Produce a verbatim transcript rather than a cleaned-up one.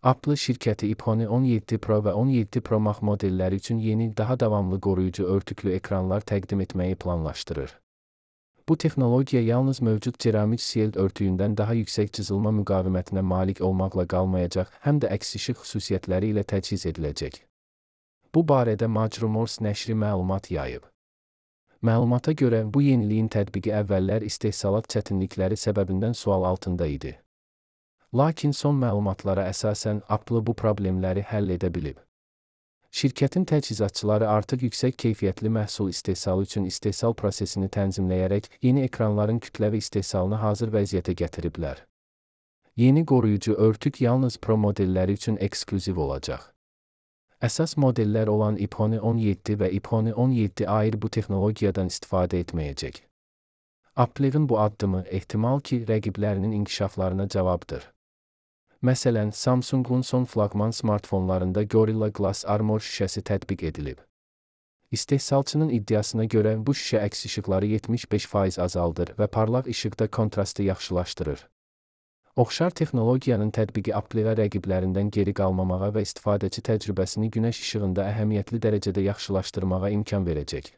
Apple şirkəti iPhone on yeddi Pro və on yeddi Pro Max modelləri üçün yeni, daha davamlı qoruyucu örtüklü ekranlar təqdim etməyi planlaşdırır. Bu texnologiya yalnız mövcud ceramik shield örtüyündən daha yüksək cızılma müqavimətinə malik olmaqla qalmayacaq, həm də əks işıq xüsusiyyətləri ilə təchiz ediləcək. Bu barədə Majrumors nəşri məlumat yayıb. Məlumata görə, bu yeniliyin tətbiqi əvvəllər istehsalat çətinlikləri səbəbindən sual altında idi. Lakin son məlumatlara əsasən Apple bu problemləri həll edə bilib. Şirkətin təchizatçıları artıq yüksək keyfiyyətli məhsul istehsalı üçün istehsal prosesini tənzimləyərək yeni ekranların kütləvi istehsalını hazır vəziyyətə gətiriblər. Yeni qoruyucu örtük yalnız Pro modelləri üçün eksklüziv olacaq. Əsas modellər olan iPhone on yeddi və iPhone on yeddi Air bu texnologiyadan istifadə etməyəcək. Apple'ın bu addımı ehtimal ki, rəqiblərinin inkişaflarına cavabdır. Məsələn, Samsung'un son flaqman smartfonlarında Gorilla Glass Armor şüşəsi tətbiq edilib. İstehsalçının iddiasına görə bu şüşə əks işıqları yetmiş beş faiz azaldır və parlaq işıqda kontrastı yaxşılaşdırır. Oxşar texnologiyanın tətbiqi Apple'a rəqiblərindən geri qalmamağa və istifadəçi təcrübəsini günəş işığında əhəmiyyətli dərəcədə yaxşılaşdırmağa imkan verəcək.